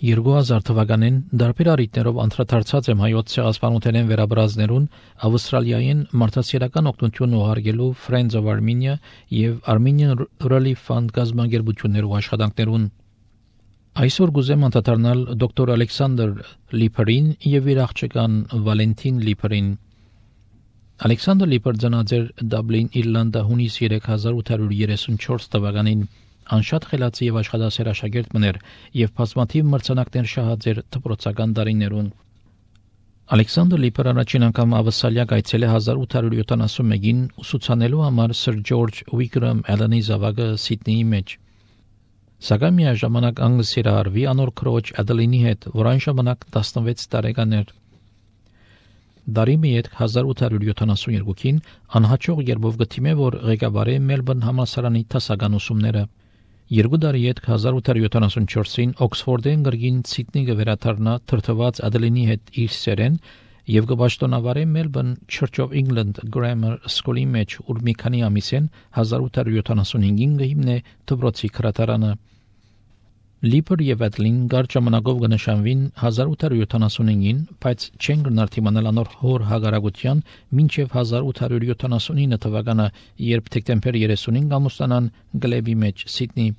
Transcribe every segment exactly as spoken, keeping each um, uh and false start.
երկու հազար թվականին դարբեր առիթներով անդրադարձած եմ հայոց ցեղասպանութենեն վերաբրազներուն Ավստրալիային մարդասիրական օգնություն ուղարկելու Friends of Armenia եւ Armenian Relief Fund գազագերբություններու աշխատանքներուն։ Այսօր գուզեմ անդրադառնալ դոկտոր Ալեքսանդր Լիփերին եւ իր աղջկան Վալենտին Լիփերին։ Ալեքսանդր Լիփեր ծնած էր Դաբլին, Իռլանդա հունիս երեք հազար ութ հարյուր երեսունչորս թվականին։ Անշատ խելացի եւ աշխատասեր աշակերտ մներ եւ բազմաթիվ մրցանակներ շահած էր դպրոցական տարիներուն։ Ալեքսանդր Լիփերը առաջին անգամ Ավստրալիա գայցել է հազար ութ հարյուր յոթանասունմեկին ուսուցանելու համար Սր Ջորջ Ուիկրամ Ալենի զավակը Սիդնեի մեջ։ Սակայն միաժամանակ անգլիսերարվի անոր քրոջ Ադելինի հետ, որ այն ժամանակ տասնվեց տարեկան էր։ Դարի մեկ հազար ութ հարյուր յոթանասունյոթին անհաջող երբով գտիմե, որ ղեկավարի Մելբուրն համալսարանի դասական ուսումները։ Երկու տարի հետ հազար ութ հարյուր յոթանասունչորսին Օքսֆորդեն գրգին Սիդնեի գվերաթարնա թրթված Ադելինի հետ իր սերեն եւ գբաշտոնավարի Մելբուրն Church of England Grammar School-ի մեջ, ուր մի քանի ամիսեն հազար ութ հարյուր յոթանասունհինգին գհիմնե դպրոցի քրատարանը։ Լիփեր եւ Ադելին գար ժամանակով կնշանվին հազար ութ հարյուր յոթանասունհինգին, բայց չեն գնար թիմանալ անոր հոր հագարագության մինչև հազար ութ հարյուր յոթանասունինը թվականը, երբ դեկտեմբեր երեսունին ամուսնանան Գլեբի մեջ Սիդնեի։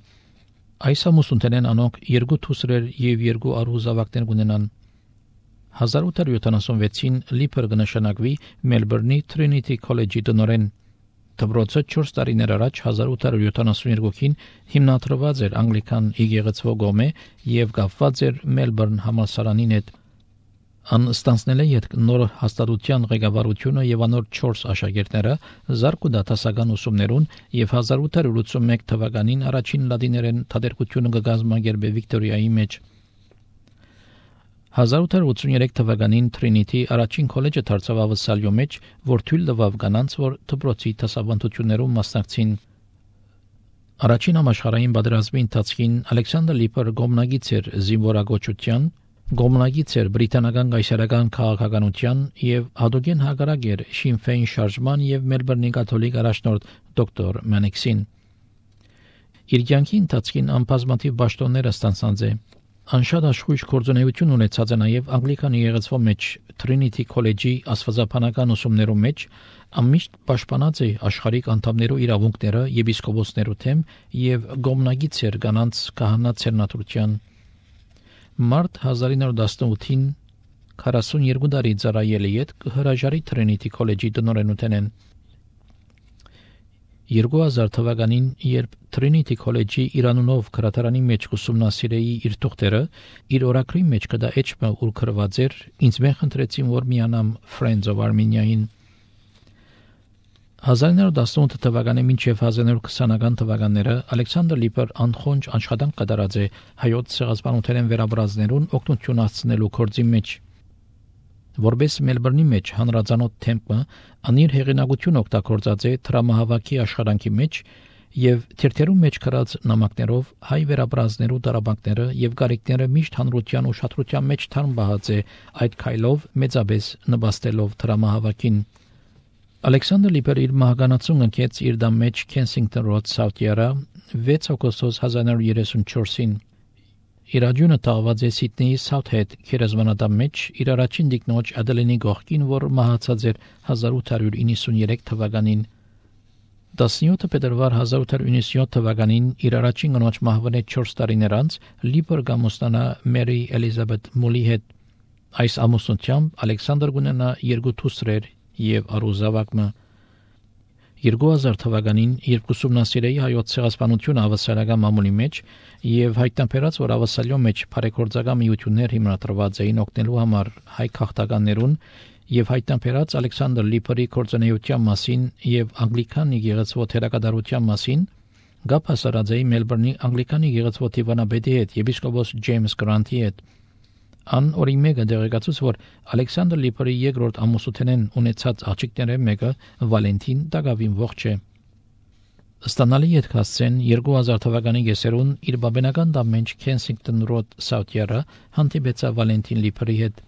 Այս ամուսնութենեն անոնք երկու դուսրեր եւ երկու արու զավակներ ունենան։ հազար ութ հարյուր յոթանասունվեցին Լիփեր կնշանակվի Մելբուրնի Trinity College-ի տնօրեն։ Դպրոցը չորս տարիներ առաջ հազար ութ հարյուր յոթանասունյոթին հիմնադրված էր անգլիկան եկեղեցու կողմէ եւ կապված էր Մելբուրն համալսարանին հետ։ Ան ստանցնել է յետ նոր հաստատության ղեկավարությունը եւ անոր չորս աշակերտները զարգու դասական ուսումներուն եւ հազար ութ հարյուր ութսունմեկ թվականին առաջին լատիներեն թատերկությունը կգազմագերբե Վիկտորիայի մեջ։ հազար ութ հարյուր ութսուներեք թվականին Trinity առաջին քոլեջը դարձավ Ավստրալիո մեջ, որ թույլ տվավ կանանց, որ դպրոցի դասավանդություններում մասնակցին։ Առաջին համաշխարհային պատերազմի ընթացքին Ալեքսանդր Լիփեր գոմնագից էր զինվորագործության, գոմնագից էր բրիտանական կայսերական քաղաքականության եւ հադոգեն հագարակ էր Sinn Féin շարժման եւ Մելբուրնի կաթոլիկ առաջնորդ դոկտոր Մանեքսին։ Իր կյանքի ընթացքին անբազմաթիվ պաշտոններ ստանցած է։ Անշատ աշխույժ գործունեություն ունեցած է նաև անգլիկան եկեղեցու մեջ Trinity College-ի աստվածաբանական ուսումներու մեջ, ամիշտ պաշտպանած է աշխարհիկ անդամներու իրավունքները եպիսկոպոսներու թեմ եւ գոմնագից էր կանանց քահանա ցերնատուրության։ Մարտ հազար ինը հարյուր տասնութին քառասունյոթ տարի ծառայել է յետ հրաժարի Trinity College-ի տնօրենութենեն։ երկու հազար թվականին, երբ Trinity College-ի Իրանունով քրատարանի մեջ ուսումնասիրեի իր թուղթերը, իր օրակրի մեջ կդա էջմը ուր գրված էր, ինձ մեն խնդրեցին, որ միանամ Friends of Armenia-ին։ հազար ինը հարյուր տասնութ թվականի մինչև հազար ինը հարյուր քսանական թվականները Ալեքսանդր Լիփեր անխոնջ աշխատանք կատարած է հայոց ցեղասպանութենեն վերաբրազներուն օգնություն հասցնելու գործի մեջ։ Որպես Մելբուրնի մեջ հանրազանոթ թեմպը անիր հեղինակություն օգտագործած է տրամահավաքի աշխատանքի մեջ եւ թերթերու մեջ գրած նամակներով հայ վերաբրազներու դարաբանքները եւ գարիկները միշտ հանրության ուշադրության մեջ թարմ բահած է այդ քայլով մեծապես նպաստելով տրամահավաքին։ Ալեքսանդր Լիփերը իր մահկանացուն ընկեց իր դամ մեջ Kensington Road, South-Yara վեց օգոստոս հազար ինը հարյուր երեսունչորսին։ Իր աջունը տաղված է Սիդնեի Southhead քերեզմանատան մեջ իր առաջին դիկնոջ Ադելինի գողքին, որ մահացած էր հազար ութ հարյուր իննսունյոթ թվականին։ տասնյոթ փետրվար հազար ութ հարյուր իննսունյոթ թվականին իր առաջին կնոջ մահվան է չորս տարիներ անց Լիփեր գամոստանա Մերի Էլիզաբեթ Մոլի հետ։ Այս ամուսնությամբ Ալեքսանդր գունենա երկու դուստրեր եւ արուզավակը։ երկու հազար թվականին, երբ ուսումնասիրեի հայոց ցեղասպանությունը ավստրալիական մամուլի մեջ եւ հայտնաբերած, որ Ավստրալիո մեջ բարեգործական միություններ հիմնադրված էին օգնելու համար հայ քաղաքականներուն եւ հայտնաբերած Ալեքսանդր Լիփերի գործունեության մասին եւ անգլիկան եկեղեցու թերակատարության մասին, գապ հասարած էի Մելբուրնի անգլիկան եկեղեցու դիվանաբեդի հետ եպիսկոպոս Ջեյմս Գրանտի հետ։ Ան օրի մեկը դեղեկացուց, որ Ալեքսանդր Լիփերի երկրորդ ամուսնութենեն ունեցած աղջիկները մեկը Վալենտին Տագավին ողջ է։ Ստանալի ետքասցեն երկու հազար թվականի գեսերուն իր բաբենական դամենջ Kensington Road, South-Yara հանդիպեցա Վալենտին Լիփերի հետ։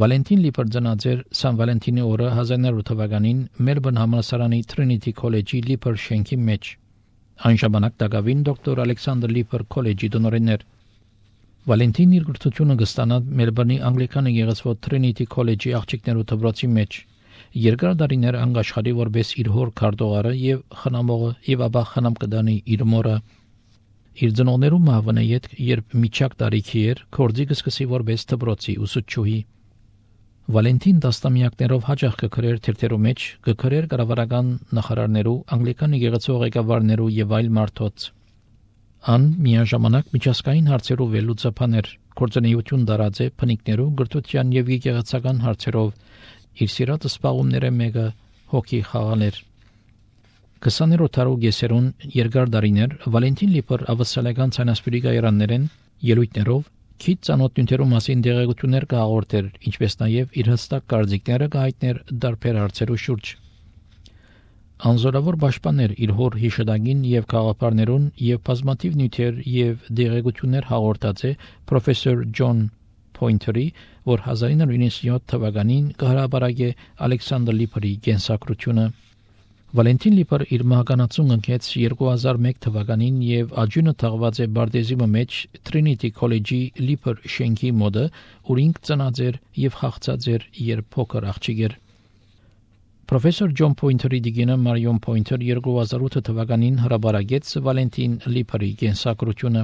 Վալենտին Լիփեր ծնած էր Սան Վալենտինի օրը հազար ինը հարյուր թվականին Մելբուրն համալսարանի Trinity College-ի Լիփեր շենքի մեջ։ Այն ժամանակ Տագավին դոկտոր Ալեքսանդր Լիփեր քոլեջի տնօրենն էր։ Վալենտինն իր գրթությունը կստանա Մելբուրնի անգլիկան եկեղեցու Trinity College-ի աղջիկներու դպրոցի մեջ։ Երկար տարիներ անգաշխարի որպես իր հոր քարտուղարը եւ խնամողը եւ ապա խնամ կդանի իր մորը։ Իր ծնողներու մահվանե յետ երբ միջակ տարիքի էր, կորձի կսկսի որպես դպրոցի ուսուցչուհի։ Վալենտին տասնամյակներով հաջող կգրեր թերթերու մեջ, կգրեր կառավարական նախարարներու, անգլիկան եկեղեցու ղեկավարներու եւ այլ մարդոց։ Ան միաժամանակ միջազգային հարցերով վերլուծապան էր, գործունեություն դարած է փնիկներու, գրթության եւ եկեղեցական հարցերով, իր սիրած սպաղումները մեկը հոգի խաղալ էր։ քսաներորդ դարու գեսերուն երկար դարիներ Վալենտին Լիպր ավսալական ցանասպիրի գայրաններեն ելույթներով քիչ ծանոթ նյութերու մասին դեղեցություններ կհաղորդեր, ինչպես նաև իր հստակ կարծիքները կհայտներ դարբեր հարցերու շուրջ։ Անզորավոր պաշտպաներ իր հոր հիշադակին եւ քաղաքապարներուն եւ բազմաթիվ նյութեր եւ դեղեցություններ հաղորդած է պրոֆեսոր Ջոն Պոինթերի, որ հազար ինը իննսունինը թվականին կհրապարակե Ալեքսանդր Լիպրի կենսագրությունը։ Վալենտին Լիպր իր մահկանացուն ընկեց երկու հազար մեկ թվականին եւ աջունը թաղված է Բարտեզիմը մեջ Trinity College-ի Լիպր շենքի մոդը, ուր ինք ծնած էր եւ խաղացած էր երբ փոքր աղջիկ էր։ Պրոֆեսոր Ջոն Պոինթերի դիգինը Մարիոն Պոինթեր երկու հազար ութ թվականին հրապարակեց Վալենտին Լիպրի կենսագրությունը։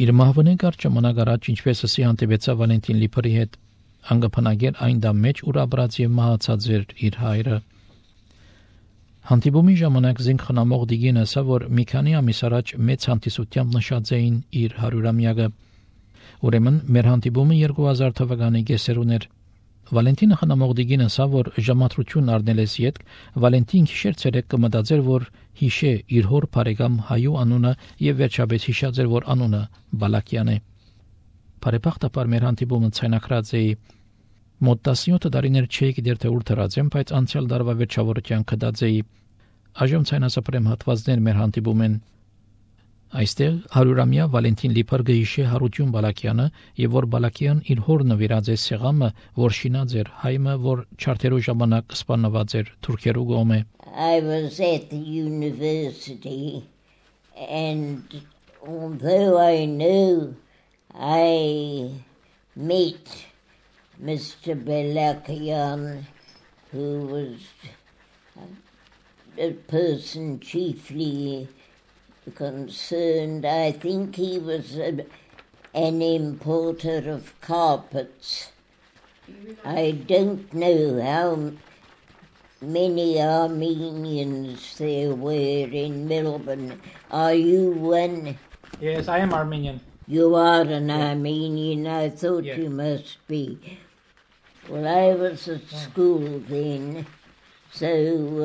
Իր մահվան կարճ ժամանակ առաջ ինչպես ասի հանդիպեցա Վալենտին Լիպրի հետ, անգապանագեր այն դամ մեջ, ուր ապրած եւ մահացած էր իր հայրը։ Հանդիպումի ժամանակ զինք խնամող դիգին ասա, որ մի քանի ամիս առաջ մեծ հանդիսությամբ նշած էին իր հարյուրամյակը։ Ուրեմն մեր հանդիպումը երկու հազար թվականի կեսերուն էր։ Վալենտինը խնամող դիգին ասա, որ ժամատրություն առնելես յետ Վալենտին քիշեր ցերեկ կմտածեր, որ հիշե իր հոր բարեկամ հայու անունը եւ վերջապես հիշած էր, որ անունը Բալակյան է։ Բարեբախտաբար մեր հանդիպումը ցայնակրած է մոտ տասնյոթ տարիներ չէի գիտեր թե ուր դրած եմ, բայց անցյալ դարվա վերջավորության կդած էի։ Այժմ ցայնասապրեմ հատվածներ մեր հանդիպումեն։ Այստեղ հարյուրամյա Վալենտին Լիպր գիշե Հարություն Բալակյանը եւ որ Բալակյան իր հոր նվիրած է սեղամը, որ շինած էր հայմը, որ չարթերու ժամանակ սպանված էր թուրքերու կողմէ։ I was at the university and although I knew I met Mister Balakian, who was a person chiefly concerned, I think he was a, an importer of carpets. I don't know how many Armenians there were in Melbourne. Are you one? Yes, I am Armenian. You are an Armenian, I thought Yeah. you must be. Well, I was at school then, so,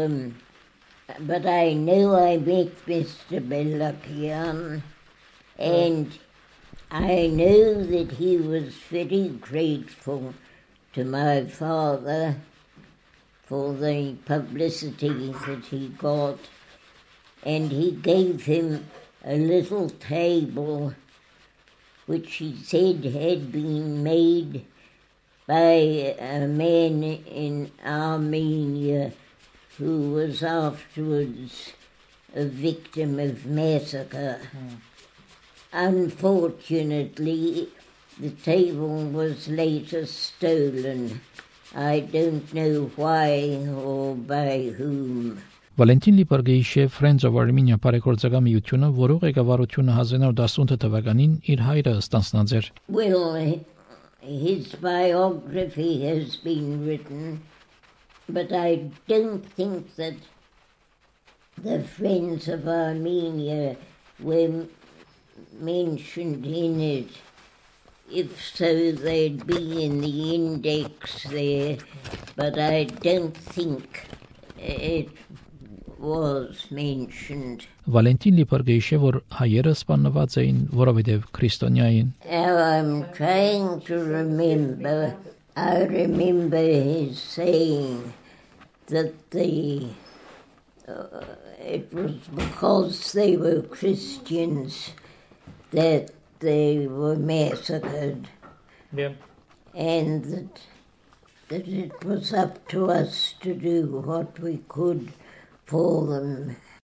um, but I know I met Mister Balakian, and I know that he was very grateful to my father for the publicity that he got, and he gave him a little table which he said had been made by a man in Armenia who was afterwards a victim of massacre. Mm. Unfortunately, the table was later stolen. I don't know why or by whom. Վալենտին Լիպր գեիշե Friends of Armenia բարեգործական միությունը, որը ղեկավարությունը հազար իննսունինը տասնութ թվականին իր հայրը ստանձնած էր։ Well, his biography has been written, but I don't think that the Friends of Armenia were mentioned in it. If so, they'd be in the index there, but I don't think it was mentioned. Վալենտին Լիպր գեիշե, որ հայերը սպանված էին, որովհետև քրիստոնյա էին։ Now I'm trying to remember. I remember his saying that the uh, it was because they were Christians that they were massacred, Yeah. and that that it was up to us to do what we could for them.